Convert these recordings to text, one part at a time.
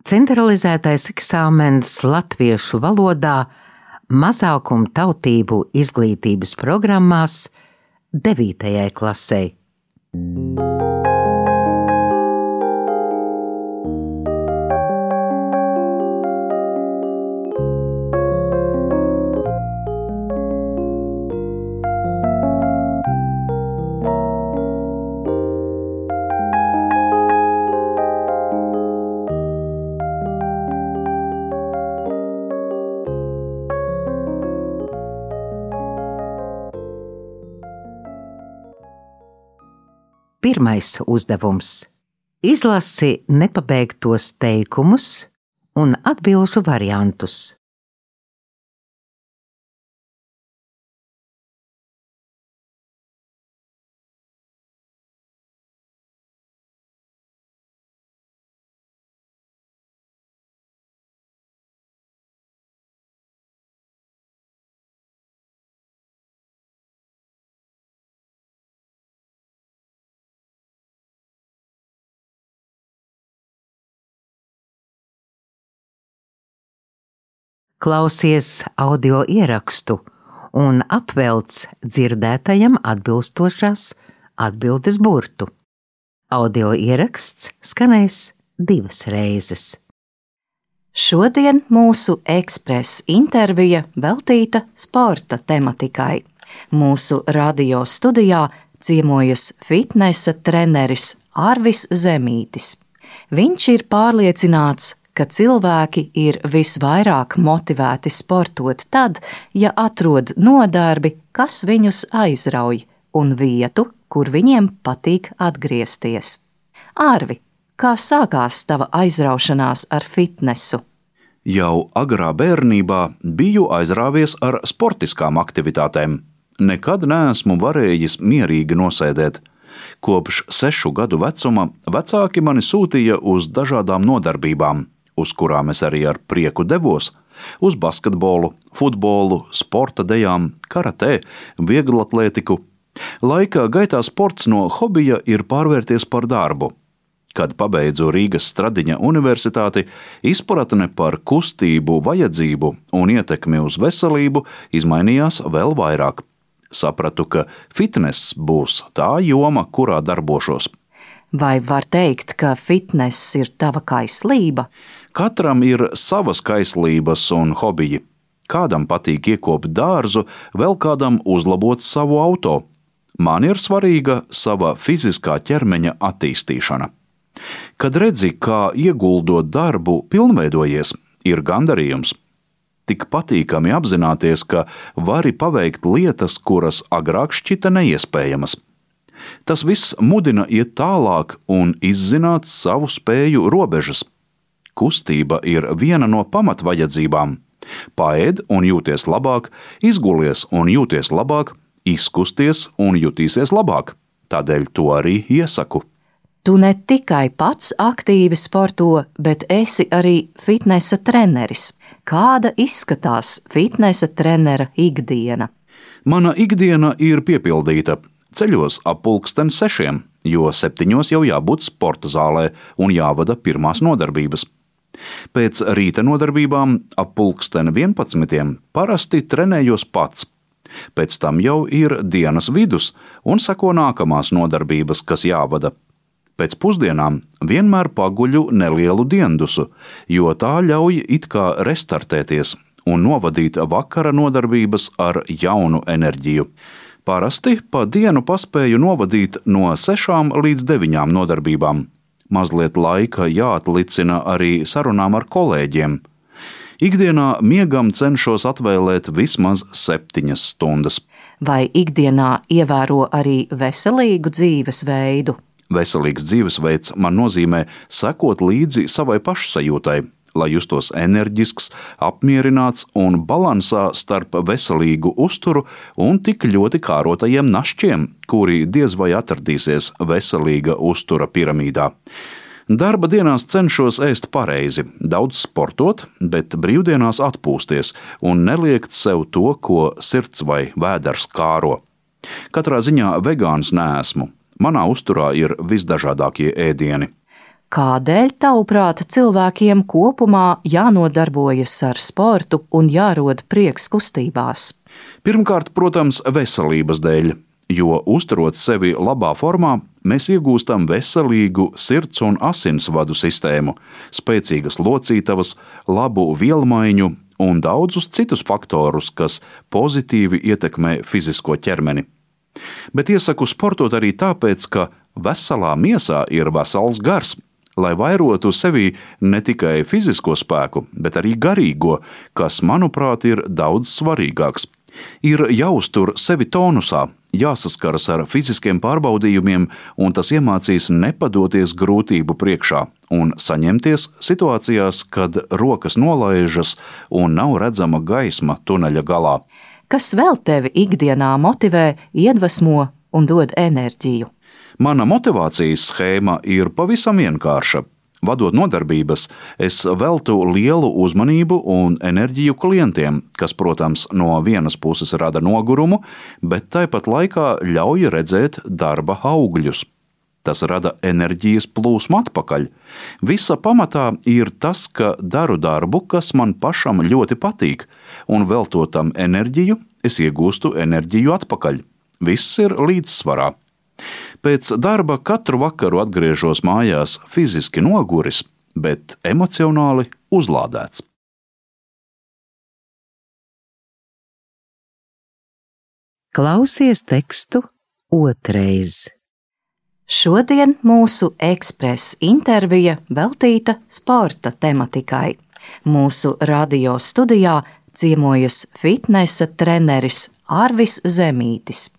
Centralizētais eksāmens latviešu valodā mazākumu tautību izglītības programmās 9. klasei. Pirmais uzdevums. Izlasi nepabeigtos teikumus un atbilžu variantus. Klausies audio ierakstu un apvelc dzirdētajam atbilstošās atbildes burtu. Audio ieraksts skanēs 2 reizes. Šodien mūsu ekspres intervija veltīta sporta tematikai. Mūsu radio studijā ciemojas fitnesa treneris Arvis Zemītis. Viņš ir pārliecināts, ka cilvēki ir visvairāk motivēti sportot tad, ja atrod nodarbi, kas viņus aizrauj, un vietu, kur viņiem patīk atgriezties. Arvi, kā sākās tava aizraušanās ar fitnesu? Jau agrā bērnībā biju aizrāvies ar sportiskām aktivitātēm. Nekad neesmu varējis mierīgi nosēdēt. Kopš 6 gadu vecuma vecāki mani sūtīja uz dažādām nodarbībām, uz kurām es arī ar prieku devos, uz basketbolu, futbolu, sporta dejām, karatē, vieglatlētiku. Laika gaitā sports no hobija ir pārvērties par darbu. Kad pabeidzu Rīgas Stradiņa universitāti, izpratne par kustību, vajadzību un ietekmi uz veselību izmainījās vēl vairāk. Sapratu, ka fitness būs tā joma, kurā darbošos. Vai var teikt, ka fitness ir tava kaislība? Katram ir savas kaislības un hobiji. Kādam patīk iekopt dārzu, vēl kādam uzlabot savu auto. Man ir svarīga sava fiziskā ķermeņa attīstīšana. Kad redzi, kā ieguldot darbu pilnveidojies, ir gandarījums. Tik patīkami apzināties, ka vari paveikt lietas, kuras agrāk šķita neiespējamas. Tas viss mudina iet tālāk un izzināt savu spēju robežas. Kustība ir viena no pamatvajadzībām. Paēd un jūties labāk, izgulies un jūties labāk, izkusties un jutīsies labāk. Tādēļ to arī iesaku. Tu ne tikai pats aktīvi sporto, bet esi arī fitnesa treneris. Kāda izskatās fitnesa trenera ikdiena? Mana ikdiena ir piepildīta. Ceļos ap 6:30, jo 7 jau jābūt sporta zālē un jāvada pirmās nodarbības. Pēc rīta nodarbībām ap 11:00 parasti trenējos pats. Pēc tam jau ir dienas vidus un seko nākamās nodarbības, kas jāvada. Pēc pusdienām vienmēr paguļu nelielu diendusu, jo tā ļauj it kā restartēties un novadīt vakara nodarbības ar jaunu enerģiju. Parasti pa dienu paspēju novadīt no 6 līdz 9 nodarbībām. Mazliet laika jāatlicina arī sarunām ar kolēģiem. Ikdienā miegam cenšos atvēlēt vismaz 7 stundas. Vai ikdienā ievēro arī veselīgu dzīvesveidu? Veselīgs dzīvesveids man nozīmē sekot līdzi savai pašsajūtai, lai justos enerģisks, apmierināts un balansā starp veselīgu uzturu un tik ļoti kārotajiem našķiem, kuri diez vai atradīsies veselīga uztura piramīdā. Darba dienās cenšos ēst pareizi, daudz sportot, bet brīvdienās atpūsties un neliekt sev to, ko sirds vai vēders kāro. Katrā ziņā vegāns neesmu. Manā uzturā ir visdažādākie ēdieni. Kādēļ, tavuprāt, cilvēkiem kopumā jānodarbojas ar sportu un jārod prieks kustībās? Pirmkārt, protams, veselības dēļ, jo uzturot sevi labā formā, mēs iegūstam veselīgu sirds un asinsvadu sistēmu, spēcīgas locītavas, labu vielmaiņu un daudzus citus faktorus, kas pozitīvi ietekmē fizisko ķermeni. Bet iesaku sportot arī tāpēc, ka veselā miesā ir vesels gars, lai vairotu sevī ne tikai fizisko spēku, bet arī garīgo, kas, manuprāt, ir daudz svarīgāks. Ir jāuztur sevi tonusā, jāsaskaras ar fiziskiem pārbaudījumiem, un tas iemācīs nepadoties grūtību priekšā un saņemties situācijās, kad rokas nolaižas un nav redzama gaisma tuneļa galā. Kas vēl tevi ikdienā motivē, iedvesmo un dod enerģiju? Mana motivācijas schēma ir pavisam vienkārša. Vadot nodarbības, es veltu lielu uzmanību un enerģiju klientiem, kas, protams, no vienas puses rada nogurumu, bet tāpat laikā ļauj redzēt darba augļus. Tas rada enerģijas plūsmu atpakaļ. Visa pamatā ir tas, ka daru darbu, kas man pašam ļoti patīk, un veltot tam enerģiju, es iegūstu enerģiju atpakaļ. Viss ir līdzsvarā. Pēc darba katru vakaru atgriežos mājās fiziski noguris, bet emocionāli uzlādēts. Klausies tekstu otrais. Šodien mūsu ekspresa intervija veltīta sporta tematikai. Mūsu radio studijā ciemojas fitnesa treneris Arvis Zemītis.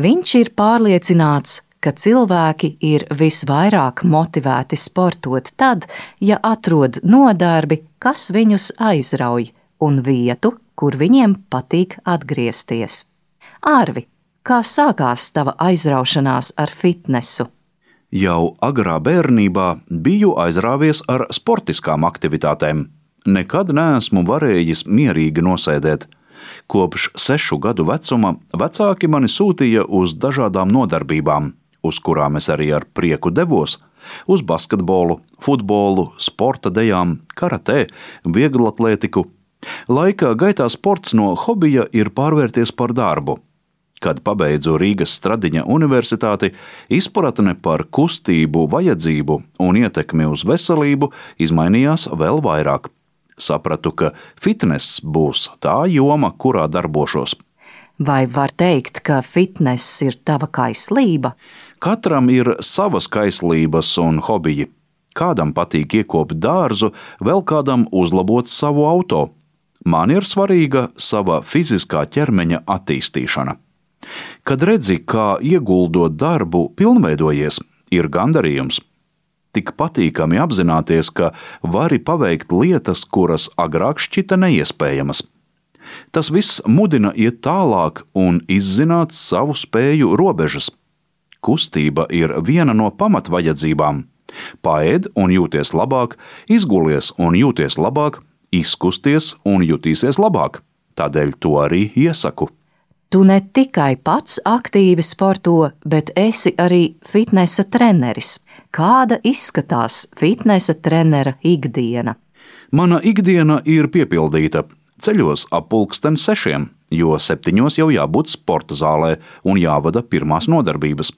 Viņš ir pārliecināts, ka cilvēki ir visvairāk motivēti sportot tad, ja atrod nodarbi, kas viņus aizrauj, un vietu, kur viņiem patīk atgriezties. Arvi, kā sākās tava aizraušanās ar fitnesu? Jau agrā bērnībā biju aizrāvies ar sportiskām aktivitātēm. Nekad neesmu varējis mierīgi nosēdēt. Kopš 6 gadu vecuma vecāki mani sūtīja uz dažādām nodarbībām, uz kurām es arī ar prieku devos – uz basketbolu, futbolu, sporta dejām, karatē, vieglatlētiku. Laika gaitā sports no hobija ir pārvērties par darbu. Kad pabeidzu Rīgas Stradiņa universitāti, izpratne par kustību, vajadzību un ietekmi uz veselību izmainījās vēl vairāk. Sapratu, ka fitness būs tā joma, kurā darbošos. Vai var teikt, ka fitness ir tava kaislība? Katram ir savas kaislības un hobiji. Kādam patīk iekopt dārzu, vēl kādam uzlabot savu auto. Man ir svarīga sava fiziskā ķermeņa attīstīšana. Kad redzi, kā ieguldot darbu pilnveidojies, ir gandarījums. Tik patīkami apzināties, ka vari paveikt lietas, kuras agrāk šķita neiespējamas. Tas viss mudina iet tālāk un izzināt savu spēju robežas. Kustība ir viena no pamatvajadzībām. Paēd un jūties labāk, izgulies un jūties labāk, izkusties un jutīsies labāk. Tādēļ to arī iesaku. Tu ne tikai pats aktīvi sporto, bet esi arī fitnesa treneris. Kāda izskatās fitnesa trenera ikdiena? Mana ikdiena ir piepildīta. Ceļos ap 6:30, jo 7 jau jābūt sporta zālē un jāvada pirmās nodarbības.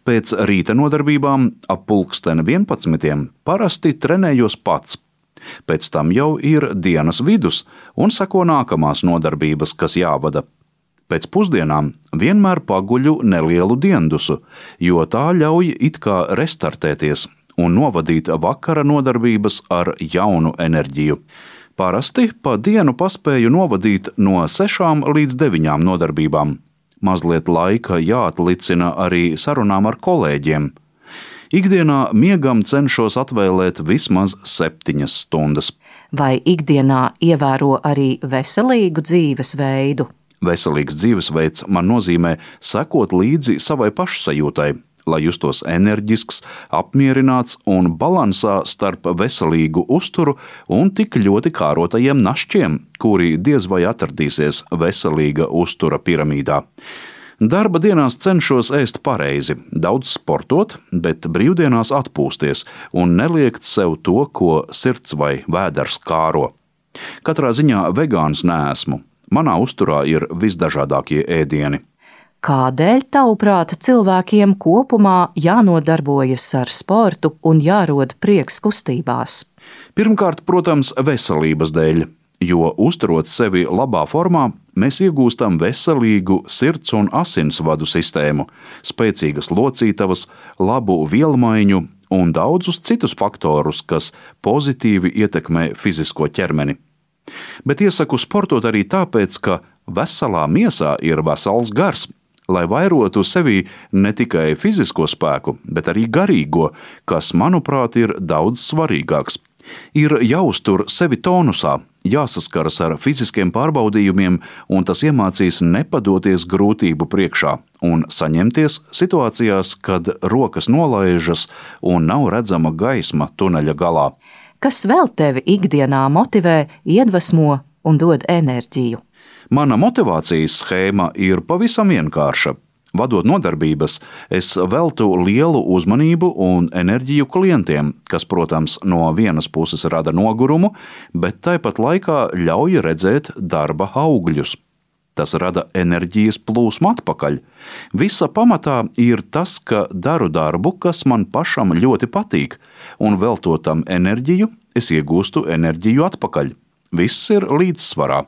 Pēc rīta nodarbībām ap 11:00 parasti trenējos pats. Pēc tam jau ir dienas vidus un seko nākamās nodarbības, kas jāvada. Pēc pusdienām vienmēr paguļu nelielu diendusu, jo tā ļauj it kā restartēties un novadīt vakara nodarbības ar jaunu enerģiju. Parasti pa dienu paspēju novadīt no 6 līdz 9 nodarbībām. Mazliet laika jāatlicina arī sarunām ar kolēģiem. Ikdienā miegam cenšos atvēlēt vismaz 7 stundas. Vai ikdienā ievēro arī veselīgu dzīvesveidu? Veselīgs dzīvesveids man nozīmē sekot līdzi savai pašsajūtai, lai justos enerģisks, apmierināts un balansā starp veselīgu uzturu un tik ļoti kārotajiem našķiem, kuri diez vai atradīsies veselīga uztura piramīdā. Darba dienās cenšos ēst pareizi, daudz sportot, bet brīvdienās atpūsties un neliekt sev to, ko sirds vai vēders kāro. Katrā ziņā vegāns neesmu. Manā uzturā ir visdažādākie ēdieni. Kādēļ, tavuprāt, cilvēkiem kopumā jānodarbojas ar sportu un jārod prieks kustībās? Pirmkārt, protams, veselības dēļ, jo uzturot sevi labā formā, mēs iegūstam veselīgu sirds un asinsvadu sistēmu, spēcīgas locītavas, labu vielmaiņu un daudzus citus faktorus, kas pozitīvi ietekmē fizisko ķermeni. Bet iesaku sportot arī tāpēc, ka veselā miesā ir vesels gars, lai vairotu sevī ne tikai fizisko spēku, bet arī garīgo, kas, manuprāt, ir daudz svarīgāks. Ir jāuztur sevi tonusā, jāsaskaras ar fiziskiem pārbaudījumiem, un tas iemācīs nepadoties grūtību priekšā un saņemties situācijās, kad rokas nolaižas un nav redzama gaisma tuneļa galā. Kas vēl tevi ikdienā motivē, iedvesmo un dod enerģiju? Mana motivācijas schēma ir pavisam vienkārša. Vadot nodarbības, es veltu lielu uzmanību un enerģiju klientiem, kas, protams, no vienas puses rada nogurumu, bet tāpat laikā ļauj redzēt darba augļus. Tas rada enerģijas plūsmu atpakaļ. Visa pamatā ir tas, ka daru darbu, kas man pašam ļoti patīk, un veltot tam enerģiju, es iegūstu enerģiju atpakaļ. Viss ir līdzsvarā.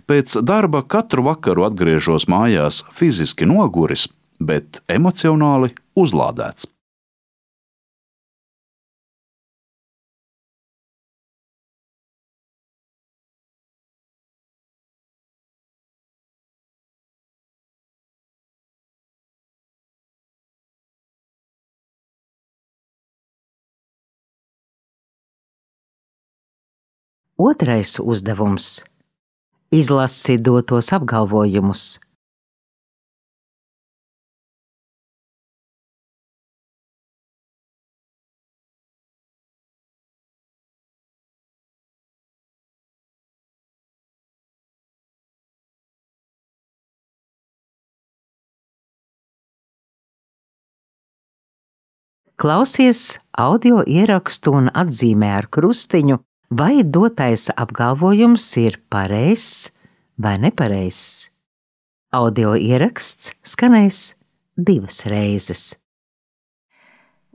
Pēc darba katru vakaru atgriežos mājās fiziski noguris, bet emocionāli uzlādēts. Otrais uzdevums. Izlasi dotos apgalvojumus. Klausies audio ierakstu un atzīmē ar krustiņu, vai dotais apgalvojums ir pareizs vai nepareizs. Audio ieraksts skanēs 2 reizes.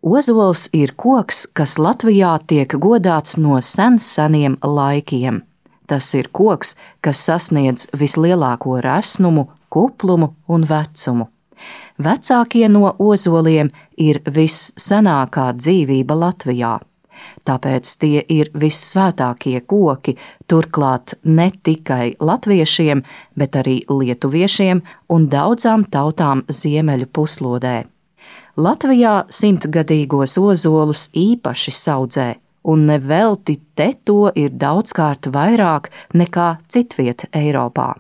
Ozols ir koks, kas Latvijā tiek godāts no seniem laikiem. Tas ir koks, kas sasniedz vislielāko resnumu, kuplumu un vecumu. Vecākie no ozoliem ir vissenākā dzīvība Latvijā. Tāpēc tie ir vissvētākie koki, turklāt ne tikai latviešiem, bet arī lietuviešiem un daudzām tautām ziemeļu puslodē. Latvijā 100-gadīgos ozolus īpaši saudzē, un nevelti te to ir daudzkārt vairāk nekā citviet Eiropā.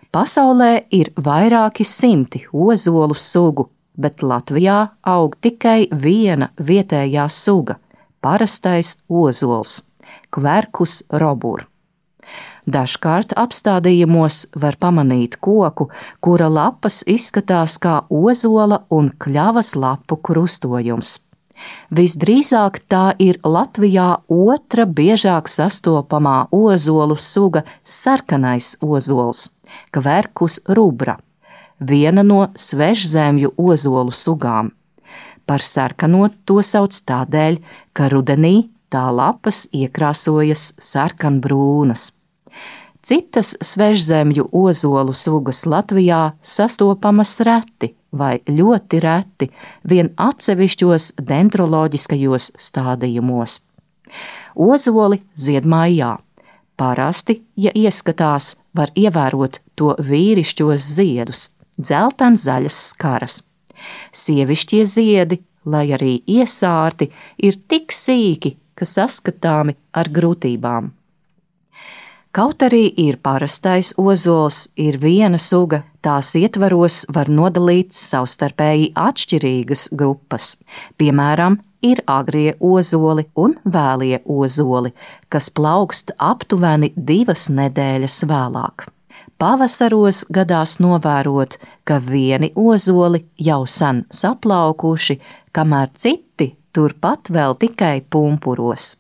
Pasaulē ir vairāki 100 ozolu sugu, bet Latvijā aug tikai viena vietējā suga – parastais ozols, Quercus robur. Dažkārt apstādījumos var pamanīt koku, kura lapas izskatās kā ozola un kļavas lapu krustojums. Visdrīzāk tā ir Latvijā otra biežāk sastopamā ozolu suga sarkanais ozols, Quercus rubra, viena no svežzemju ozolu sugām. Par sarkano to sauc tādēļ, ka rudenī tā lapas iekrāsojas sarkanbrūnas. Citas svežzemju ozolu sugas Latvijā sastopamas reti vai ļoti reti, vien atsevišķos dendroloģiskajos stādījumos. Ozoli zied maijā. Parasti, ja ieskatās, var ievērot to vīrišķos ziedus, dzeltenzaļas skaras. Sievišķie ziedi, lai arī iesārti, ir tik sīki, ka saskatāmi ar grūtībām. Kaut arī ir parastais ozols, ir viena suga, tās ietvaros var nodalīt savstarpēji atšķirīgas grupas. Piemēram, ir agrie ozoli un vēlie ozoli, kas plaukst aptuveni 2 nedēļas vēlāk. Pavasaros gadās novērot, ka vieni ozoli jau sen saplaukuši, kamēr citi turpat vēl tikai pumpuros.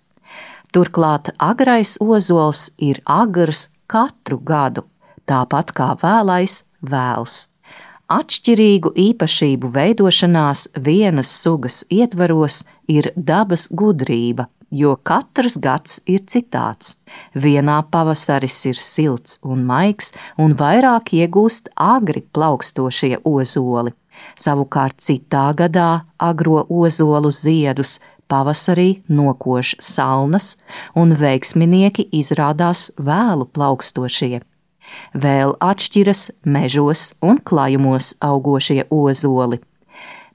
Turklāt agrais ozols ir agrs katru gadu, tāpat kā vēlais vēls. Atšķirīgu īpašību veidošanās vienas sugas ietvaros ir dabas gudrība, jo katrs gads ir citāds. Vienā pavasaris ir silts un maigs un vairāk iegūst agri plaukstošie ozoli. Savukārt citā gadā agro ozolu ziedus pavasarī nokož salnas un veiksminieki izrādās vēlu plaukstošie. Vēl atšķiras mežos un klājumos augošie ozoli.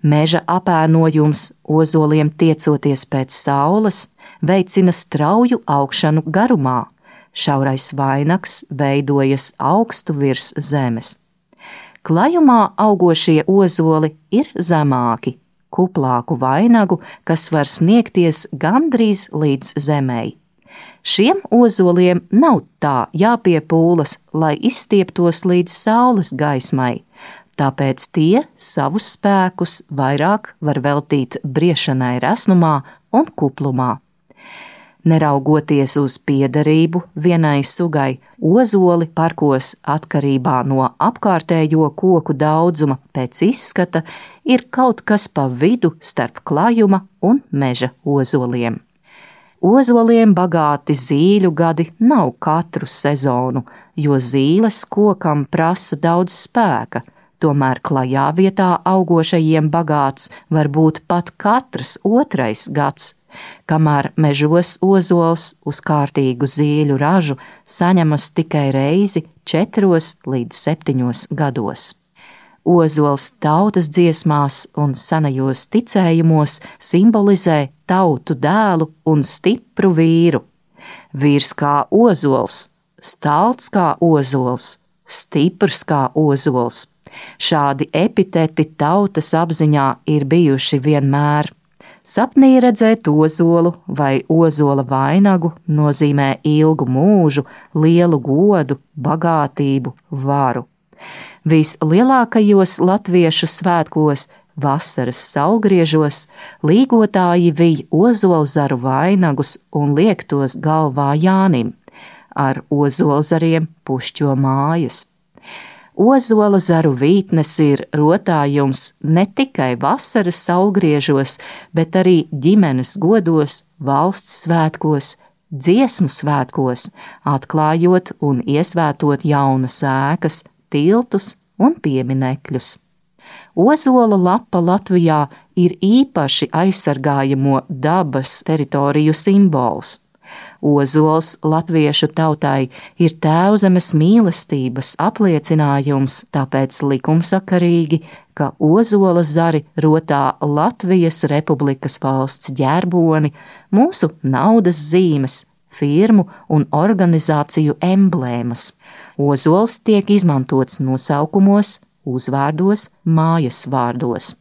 Meža apēnojums ozoliem tiecoties pēc saules veicina strauju augšanu garumā. Šaurais vainags veidojas augstu virs zemes. Klājumā augošie ozoli ir zemāki, kuplāku vainagu, kas var sniegties gandrīz līdz zemei. Šiem ozoliem nav tā jāpiepūlas, lai izstieptos līdz saules gaismai, tāpēc tie savus spēkus vairāk var veltīt briešanai resnumā un kuplumā. Neraugoties uz piederību vienai sugai, ozoli parkos atkarībā no apkārtējo koku daudzuma pēc izskata ir kaut kas pa vidu starp klājuma un meža ozoliem. Ozoliem bagāti zīļu gadi nav katru sezonu, jo zīles kokam prasa daudz spēka, tomēr klajā vietā augošajiem bagāts var būt pat katrs otrais gads, kamēr mežos ozols uz kārtīgu zīļu ražu saņemas tikai reizi 4 līdz 7 gados. Ozols tautas dziesmās un senajos ticējumos simbolizē tautu dēlu un stipru vīru. Vīrs kā ozols, stalts kā ozols, stiprs kā ozols. Šādi epiteti tautas apziņā ir bijuši vienmēr. Sapnī redzēt ozolu vai ozola vainagu nozīmē ilgu mūžu, lielu godu, bagātību, varu. Vislielākajos latviešu svētkos, vasaras saulgriežos, līgotāji vij ozolzaru vainagus un liek tos galvā Jānim. Ar ozolzariem pušķo mājas. Ozola zaru vītnes ir rotājums ne tikai vasaras saulgriežos, bet arī ģimenes godos, valsts svētkos, dziesmu svētkos, atklājot un iesvētot jaunas ēkas, tiltus un pieminekļus. Ozola lapa Latvijā ir īpaši aizsargājamo dabas teritoriju simbols. Ozols latviešu tautai ir tēvzemes mīlestības apliecinājums, tāpēc likumsakarīgi, ka ozola zari rotā Latvijas Republikas valsts ģerboni, mūsu naudas zīmes, firmu un organizāciju emblēmas. Ozols tiek izmantots nosaukumos, uzvārdos, mājas vārdos.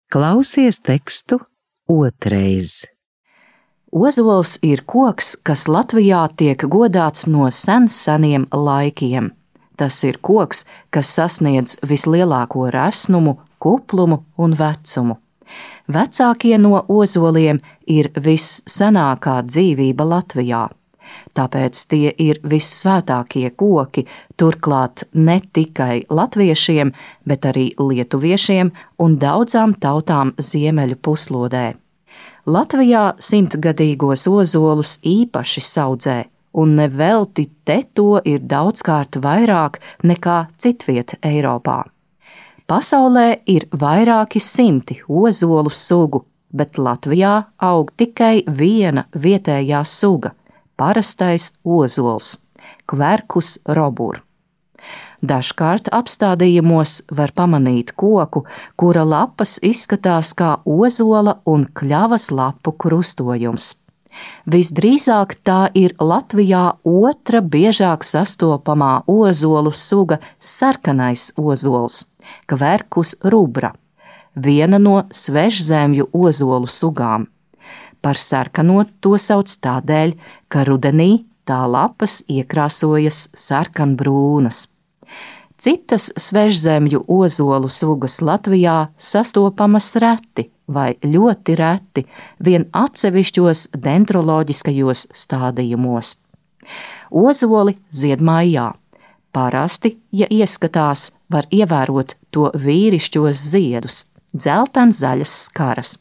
Klausies tekstu otrais. Ozols ir koks, kas Latvijā tiek godāts no seniem laikiem. Tas ir koks, kas sasniedz vislielāko resnumu, kuplumu un vecumu. Vecākie no ozoliem ir vissenākā dzīvība Latvijā. Tāpēc tie ir vissvētākie koki, turklāt ne tikai latviešiem, bet arī lietuviešiem un daudzām tautām ziemeļu puslodē. Latvijā 100-gadīgos ozolus īpaši saudzē, un nevelti te to ir daudzkārt vairāk nekā citviet Eiropā. Pasaulē ir vairāki 100 ozolu sugu, bet Latvijā aug tikai viena vietējā suga – parastais ozols, Quercus robur. Dažkārt apstādījumos var pamanīt koku, kura lapas izskatās kā ozola un kļavas lapu krustojums. Visdrīzāk tā ir Latvijā otra biežāk sastopamā ozolu suga sarkanais ozols, Quercus rubra. viena no svešzemju ozolu sugām. Par sarkano to sauc tādēļ, ka rudenī tā lapas iekrāsojas sarkanbrūnas. Citas svešzemju ozolu sugas Latvijā sastopamas reti vai ļoti reti vien atsevišķos dendroloģiskajos stādījumos. Ozoli zied maijā. Parasti, ja ieskatās, var ievērot to vīrišķos ziedus, dzeltenzaļas skaras.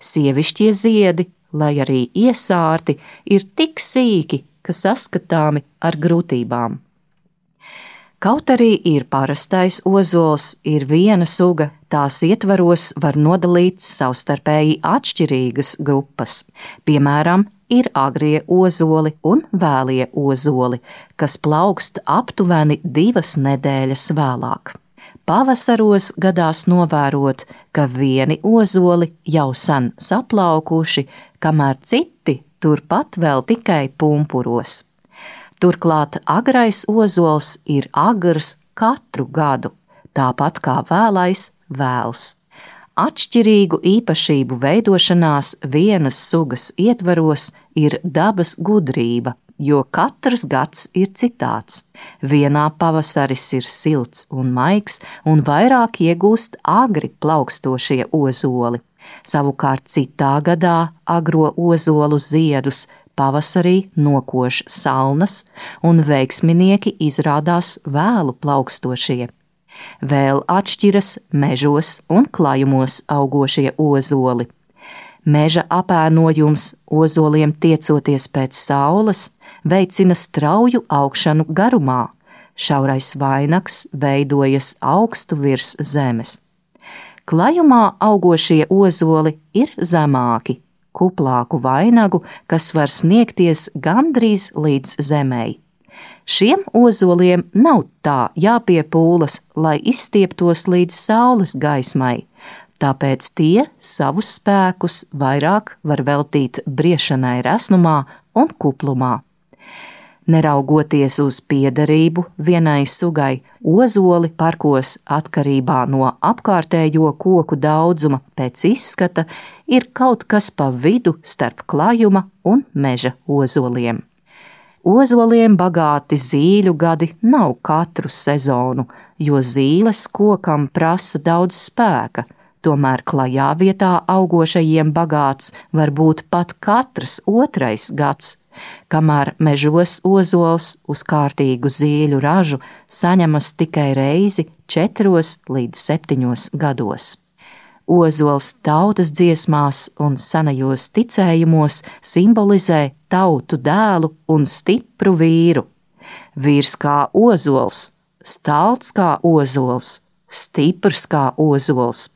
Sievišķie ziedi, lai arī iesārti, ir tik sīki, ka saskatāmi ar grūtībām. Kaut arī ir parastais ozols, ir viena suga, tās ietvaros var nodalīt savstarpēji atšķirīgas grupas. Piemēram, ir agrie ozoli un vēlie ozoli, kas plaukst aptuveni 2 nedēļas vēlāk. Pavasaros gadās novērot, ka vieni ozoli jau sen saplaukuši, kamēr citi turpat vēl tikai pumpuros. Turklāt agrais ozols ir agrs katru gadu, tāpat kā vēlais vēls. Atšķirīgu īpašību veidošanās vienas sugas ietvaros ir dabas gudrība, jo katrs gads ir citāds. Vienā pavasaris ir silts un maigs un vairāk iegūst agri plaukstošie ozoli. Savukārt citā gadā agro ozolu ziedus pavasarī nokož salnas un veiksminieki izrādās vēlu plaukstošie. Vēl atšķiras mežos un klājumos augošie ozoli. Meža apēnojums ozoliem tiecoties pēc saules veicina strauju augšanu garumā, šaurais vainags veidojas augstu virs zemes. Klājumā augošie ozoli ir zemāki, kuplāku vainagu, kas var sniegties gandrīz līdz zemei. Šiem ozoliem nav tā jāpiepūlas, lai izstieptos līdz saules gaismai, tāpēc tie savus spēkus vairāk var veltīt briešanai resnumā un kuplumā. Neraugoties uz piederību vienai sugai, ozoli parkos atkarībā no apkārtējo koku daudzuma pēc izskata ir kaut kas pa vidu starp klājuma un meža ozoliem. Ozoliem bagāti zīļu gadi nav katru sezonu, jo zīles kokam prasa daudz spēka, tomēr klajā vietā augošajiem bagāts var būt pat katrs otrais gads, kamēr mežos ozols uz kārtīgu zīļu ražu saņemas tikai reizi 4 līdz 7 gados. Ozols tautas dziesmās un senajos ticējumos simbolizē tautu dēlu un stipru vīru. Vīrs kā ozols, stalts kā ozols, stiprs kā ozols.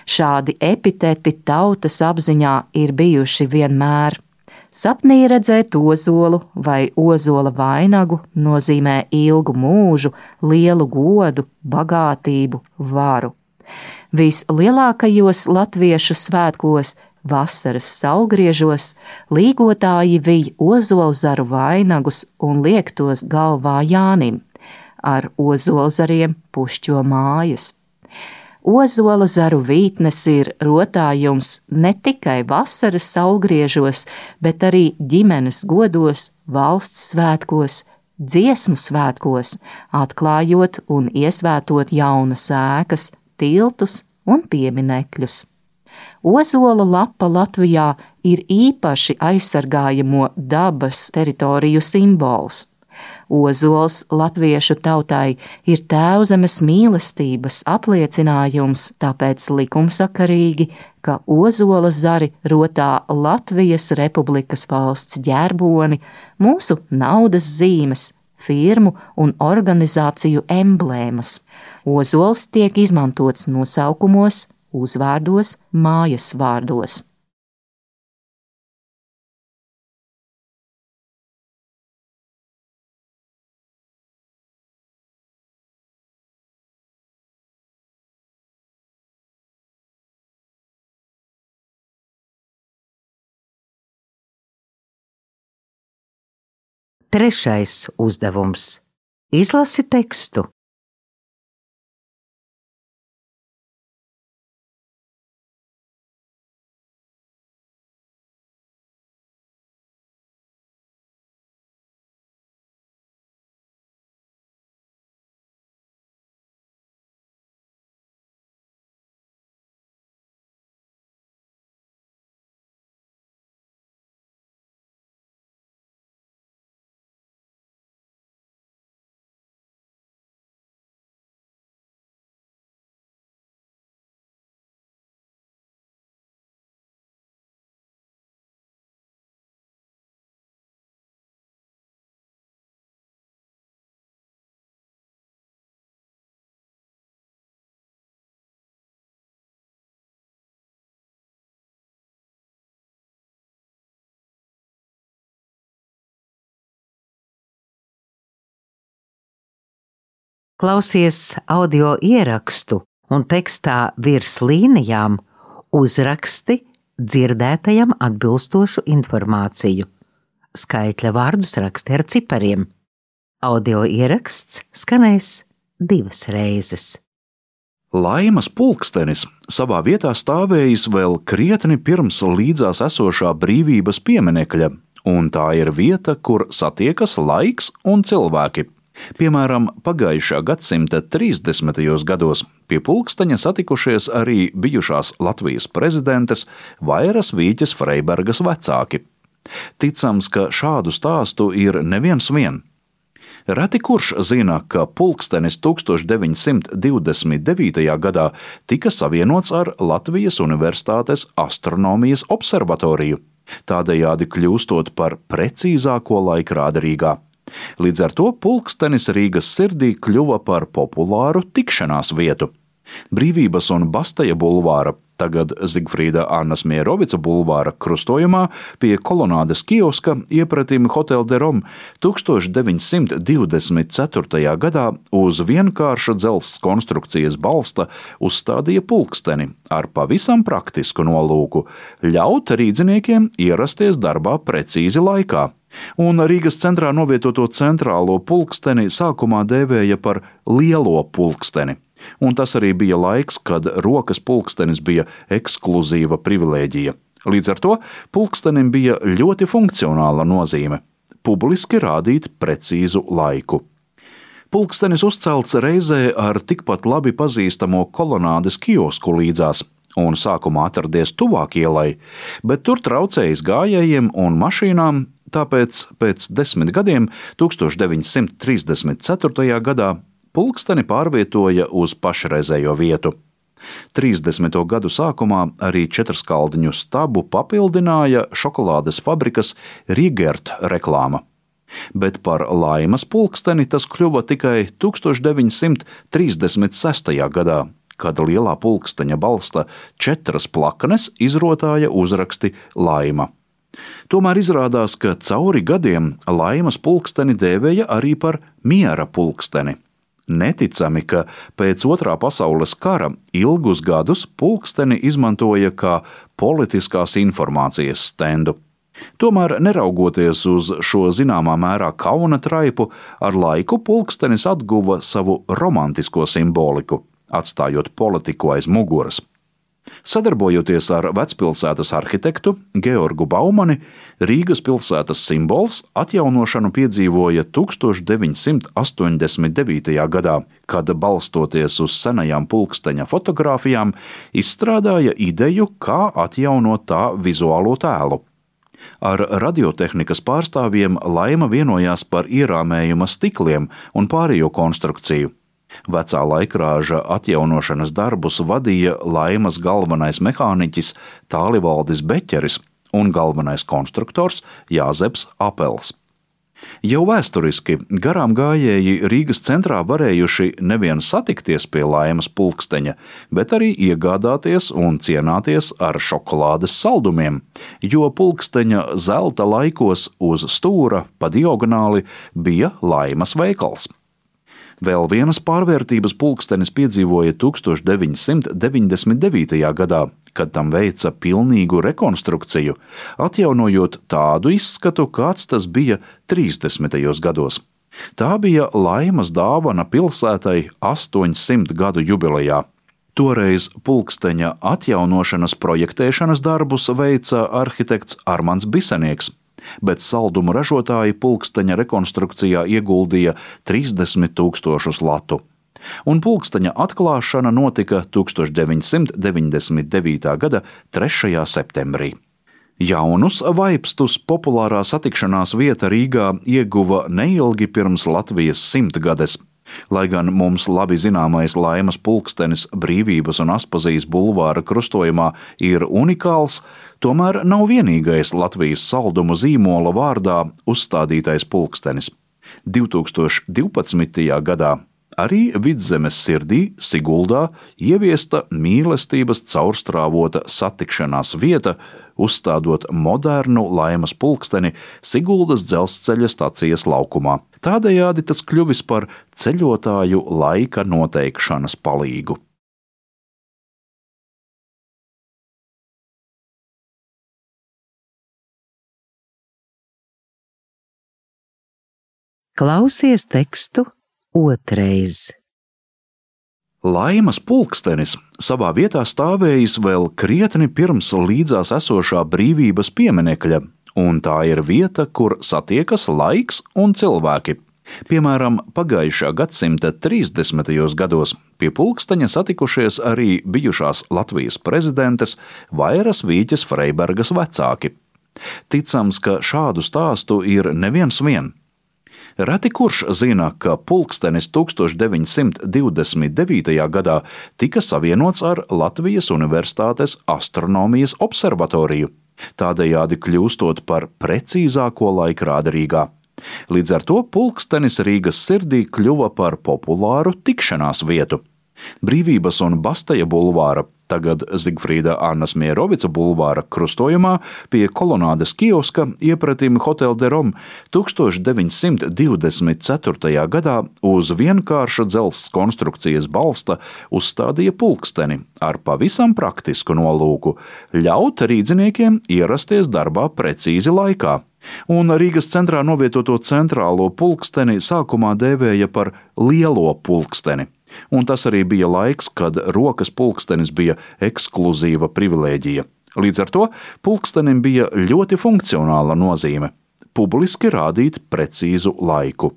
Šādi epiteti tautas apziņā ir bijuši vienmēr. Sapnī redzēt ozolu vai ozola vainagu nozīmē ilgu mūžu, lielu godu, bagātību, varu. Vislielākajos latviešu svētkos, vasaras saulgriežos, līgotāji vij ozolzaru vainagus un liek tos galvā Jānim, ar ozolzariem pušķo mājas. Ozola zaru vītnes ir rotājums ne tikai vasaras saulgriežos, bet arī ģimenes godos, valsts svētkos, dziesmu svētkos, atklājot un iesvētot jaunas ēkas, tiltus un pieminekļus. Ozola lapa Latvijā ir īpaši aizsargājamo dabas teritoriju simbols. Ozols latviešu tautai ir tēvzemes mīlestības apliecinājums, tāpēc likumsakarīgi, ka ozola zari rotā Latvijas Republikas valsts ģerboni, mūsu naudas zīmes, firmu un organizāciju emblēmas. Ozols tiek izmantots nosaukumos, uzvārdos, mājas vārdos. Trešais uzdevums – izlasi tekstu. Klausies audio ierakstu un tekstā virs līnijām uzraksti dzirdētajam atbilstošu informāciju. Skaitļa vārdus raksti ar cipariem. Audio ieraksts skanēs 2 reizes. Laimas pulkstenis savā vietā stāvējis vēl krietni pirms līdzās esošā brīvības pieminekļa, un tā ir vieta, kur satiekas laiks un cilvēki. Piemēram, pagājušā gadsimta 30. gados pie pulksteņa satikušies arī bijušās Latvijas prezidentes Vairas Vīķes Freibergas vecāki. Ticams, ka šādu stāstu ir neviens vien. Reti kurš zina, ka pulkstenis 1929. gadā tika savienots ar Latvijas Universitātes astronomijas observatoriju, tādējādi kļūstot par precīzāko laikrādi Rīgā. Līdz ar to pulkstenis Rīgas sirdī kļuva par populāru tikšanās vietu. Brīvības un Bastaja bulvāra, tagad Zigfrīda Annas Mierovica bulvāra krustojumā pie kolonādes kioska iepratim Hotel de Rome 1924. gadā uz vienkārša dzelzs konstrukcijas balsta uzstādīja pulksteni ar pavisam praktisku nolūku ļaut rīdziniekiem ierasties darbā precīzi laikā. Un Rīgas centrā novietoto centrālo pulksteni sākumā dēvēja par lielo pulksteni. Un tas arī bija laiks, kad rokas pulkstenis bija ekskluzīva privilēģija. Līdz ar to pulkstenim bija ļoti funkcionāla nozīme – publiski rādīt precīzu laiku. Pulkstenis uzcelts reizē ar tikpat labi pazīstamo kolonādes kiosku līdzās un sākumā atradies tuvāk ielai, bet tur traucējis gājējiem un mašīnām, tāpēc pēc 10 gadiem, 1934. gadā, pulksteni pārvietoja uz pašreizējo vietu. 30. gadu sākumā arī četrskaldņu stabu papildināja šokolādes fabrikas Rigert reklāma. Bet par Laimas pulksteni tas kļuva tikai 1936. gadā, kad lielā pulksteņa balsta 4 plakanes izrotāja uzraksti Laima. Tomēr izrādās, ka cauri gadiem Laimas pulksteni dēvēja arī par miera pulksteni. Neticami, ka pēc Otrā pasaules kara ilgus gadus pulksteni izmantoja kā politiskās informācijas stendu. Tomēr, neraugoties uz šo zināmā mērā kauna traipu, ar laiku pulkstenis atguva savu romantisko simboliku, atstājot politiku aiz muguras. Sadarbojoties ar vecpilsētas arhitektu Georgu Baumani, Rīgas pilsētas simbols atjaunošanu piedzīvoja 1989. gadā, kad, balstoties uz senajām pulksteņa fotogrāfijām, izstrādāja ideju, kā atjaunot tā vizuālo tēlu. Ar radiotehnikas pārstāvjiem Laima vienojās par ierāmējuma stikliem un pārējo konstrukciju. Vecā laikrāža atjaunošanas darbus vadīja Laimas galvenais mehāniķis Tālivaldis Beķeris un galvenais konstruktors Jāzeps Apels. Jau vēsturiski garām gājēji Rīgas centrā varējuši nevien satikties pie Laimas pulksteņa, bet arī iegādāties un cienāties ar šokolādes saldumiem, jo pulksteņa zelta laikos uz stūra pa diagonāli bija Laimas veikals. Vēl vienas pārvērtības pulkstenis piedzīvoja 1999. gadā, kad tam veica pilnīgu rekonstrukciju, atjaunojot tādu izskatu, kāds tas bija 30. gados. Tā bija Laimas dāvana pilsētai 800 gadu jubilejā. Toreiz pulksteņa atjaunošanas projektēšanas darbus veica arhitekts Armands Bisenieks, bet saldumu ražotāji pulksteņa rekonstrukcijā ieguldīja 30 000 latu. Un pulksteņa atklāšana notika 1999. gada 3. septembrī. Jaunus vaipstus populārā satikšanās vieta Rīgā ieguva neilgi pirms Latvijas 100-gades. Lai gan mums labi zināmais Laimas pulkstenis Brīvības un Aspazijas bulvāra krustojumā ir unikāls, tomēr nav vienīgais Latvijas saldumu zīmola vārdā uzstādītais pulkstenis. 2012. gadā arī Vidzemes sirdī, Siguldā, ieviesta mīlestības caurstrāvota satikšanās vieta, uzstādot modernu Laimas pulksteni Siguldas dzelzceļa stacijas laukumā. Tādējādi tas kļuvis par ceļotāju laika noteikšanas palīgu. Klausies tekstu otrais. Laimas pulkstenis savā vietā stāvējis vēl krietni pirms līdzās esošā brīvības pieminekļa, un tā ir vieta, kur satiekas laiks un cilvēki. Piemēram, pagājušā gadsimta 30. gados pie pulksteņa satikušies arī bijušās Latvijas prezidentes Vairas Vīķes Freibergas vecāki. Ticams, ka šādu stāstu ir neviens vien. Reti kurš zina, ka pulkstenis 1929. gadā tika savienots ar Latvijas Universitātes astronomijas observatoriju, tādējādi kļūstot par precīzāko laikrādi Rīgā. Līdz ar to pulkstenis Rīgas sirdī kļuva par populāru tikšanās vietu. Brīvības un Basteja bulvāra, tagad Zigfrīda Annas Mierovica bulvāra krustojumā pie kolonādes kioska iepratim Hotel de Rome 1924. gadā uz vienkārša dzelzs konstrukcijas balsta uzstādīja pulksteni ar pavisam praktisku nolūku – ļaut rīdziniekiem ierasties darbā precīzi laikā. Un Rīgas centrā novietoto centrālo pulksteni sākumā dēvēja par lielo pulksteni. Un tas arī bija laiks, kad rokas pulkstenis bija ekskluzīva privilēģija. Līdz ar to pulkstenim bija ļoti funkcionāla nozīme – publiski rādīt precīzu laiku.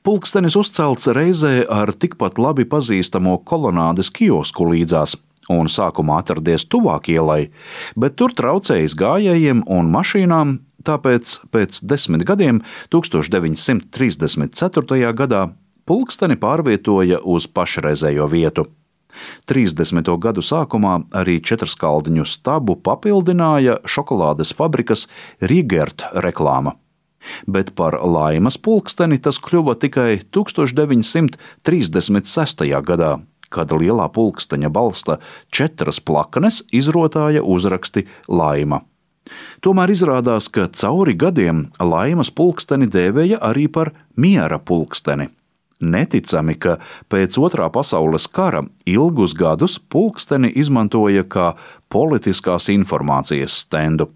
Pulkstenis uzcelts reizē ar tikpat labi pazīstamo kolonādes kiosku līdzās un sākumā atradies tuvāk ielai, bet tur traucējis gājējiem un mašīnām, tāpēc pēc 10 gadiem, 1934. gadā, pulksteni pārvietoja uz pašreizējo vietu. 30. gadu sākumā arī četrskaldņu stabu papildināja šokolādes fabrikas Rigert reklāma. Bet par Laimas pulksteni tas kļuva tikai 1936. gadā, kad lielā pulksteņa balsta 4 plaknes izrotāja uzraksti Laima. Tomēr izrādās, ka cauri gadiem Laimas pulksteni dēvēja arī par miera pulksteni. Neticami, ka pēc Otrā pasaules kara ilgus gadus pulksteni izmantoja kā politiskās informācijas stendu.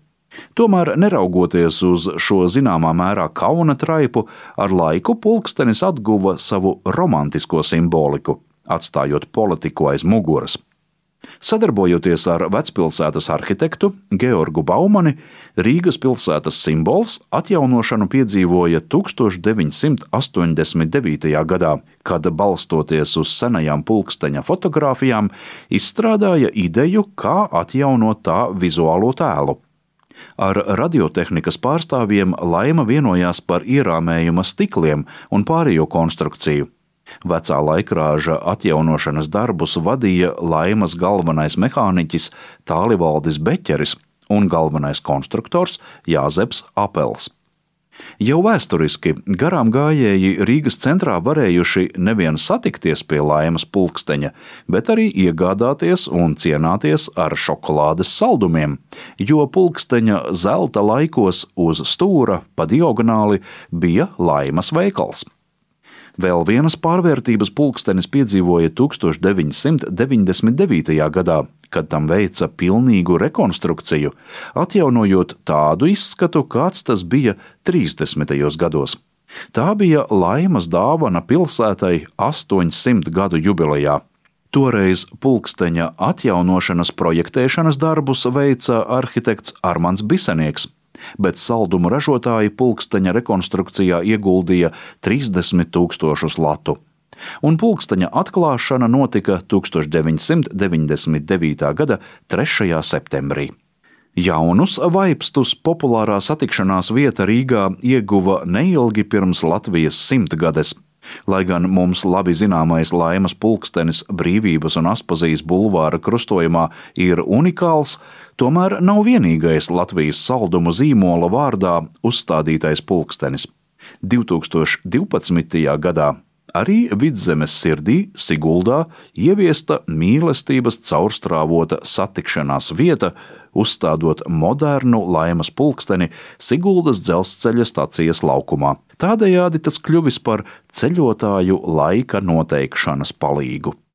Tomēr, neraugoties uz šo zināmā mērā kauna traipu, ar laiku pulkstenis atguva savu romantisko simboliku, atstājot politiku aiz muguras. Sadarbojoties ar vecpilsētas arhitektu Georgu Baumani, Rīgas pilsētas simbols atjaunošanu piedzīvoja 1989. gadā, kad, balstoties uz senajām pulksteņa fotogrāfijām, izstrādāja ideju, kā atjaunot tā vizuālo tēlu. Ar radiotehnikas pārstāvjiem Laima vienojās par ierāmējuma stikliem un pārējo konstrukciju. Vecā laikrāža atjaunošanas darbus vadīja Laimas galvenais mehāniķis Tālivaldis Beķeris un galvenais konstruktors Jāzeps Apels. Jau vēsturiski garām gājēji Rīgas centrā varējuši nevien satikties pie Laimas pulksteņa, bet arī iegādāties un cienāties ar šokolādes saldumiem, jo pulksteņa zelta laikos uz stūra pa diagonāli bija Laimas veikals. Vēl vienas pārvērtības pulkstenis piedzīvoja 1999. gadā, kad tam veica pilnīgu rekonstrukciju, atjaunojot tādu izskatu, kāds tas bija 30. gados. Tā bija Laimas dāvana pilsētai 800 gadu jubilejā. Toreiz pulksteņa atjaunošanas projektēšanas darbus veica arhitekts Armands Bisenieks, bet saldumu ražotāji pulksteņa rekonstrukcijā ieguldīja 30 000 latu. Un pulksteņa atklāšana notika 1999. gada 3. septembrī. Jaunus vaipstus populārā satikšanās vieta Rīgā ieguva neilgi pirms Latvijas 100-gades. Lai gan mums labi zināmais Laimas pulkstenis Brīvības un Aspazijas bulvāra krustojumā ir unikāls, tomēr nav vienīgais Latvijas saldumu zīmola vārdā uzstādītais pulkstenis. 2012. gadā arī Vidzemes sirdī Siguldā ieviesta mīlestības caurstrāvota satikšanās vieta, uzstādot modernu Laimas pulksteni Siguldas dzelzceļa stacijas laukumā. Tādējādi tas kļuvis par ceļotāju laika noteikšanas palīgu.